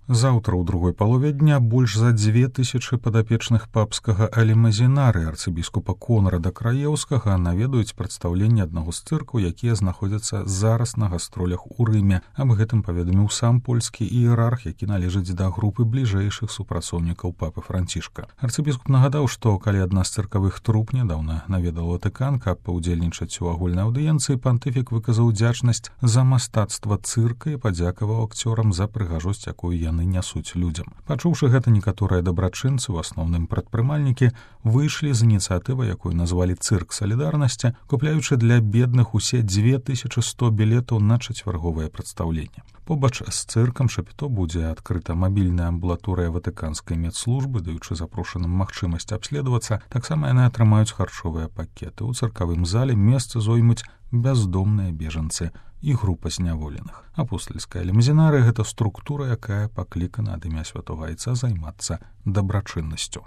Заўтра ў другой палове дня больш за 2000 падапечных папскага алімазінары арцыбіскупа Конрада Краеўскага наведаюць прадстаўленне аднаго з цыркаў, якія знаходзяцца зараз на гастролях у Рыме. Аб гэтым паведаміў сам польскі іерарх, які належыць да групы бліжэйшых супрацоўнікаў папы Францішка. Арцыбіскуп нагадаў, што калі адна з цыркавых труп нядаўна наведала Ватыкан, каб паўдзельнічаць у агульнай аўдыенцыі, пантыфік выказаў удзячнасць за мастацтва цырка і падзякаваў акцёрам за прыгажосць, якую яны нясуць людзям. Пачуўшы гэта, некаторыя дабрачынцы, у асноўным прадпрымальнікі, выйшлі з ініцыятывай, якую назвалі цырк салідарнасці, купляючы для бедных усе 2100 білетаў на чацвярговае прадстаўленне. Побач з цыркам Шапіто будзе адкрыта мабільная амбулаторыя ватыканскай медслужбы, даючы запрошаным магчымасць абследавацца. Таксама яны атрымаюць харчовыя пакеты. У цыркавым зале месца зоймуць бяздомныя бежанцы і група зняволеных. Апостальская алімазінарыя — гэта структура, якая паклікана ад імя святога айца займацца дабрачыннасцю.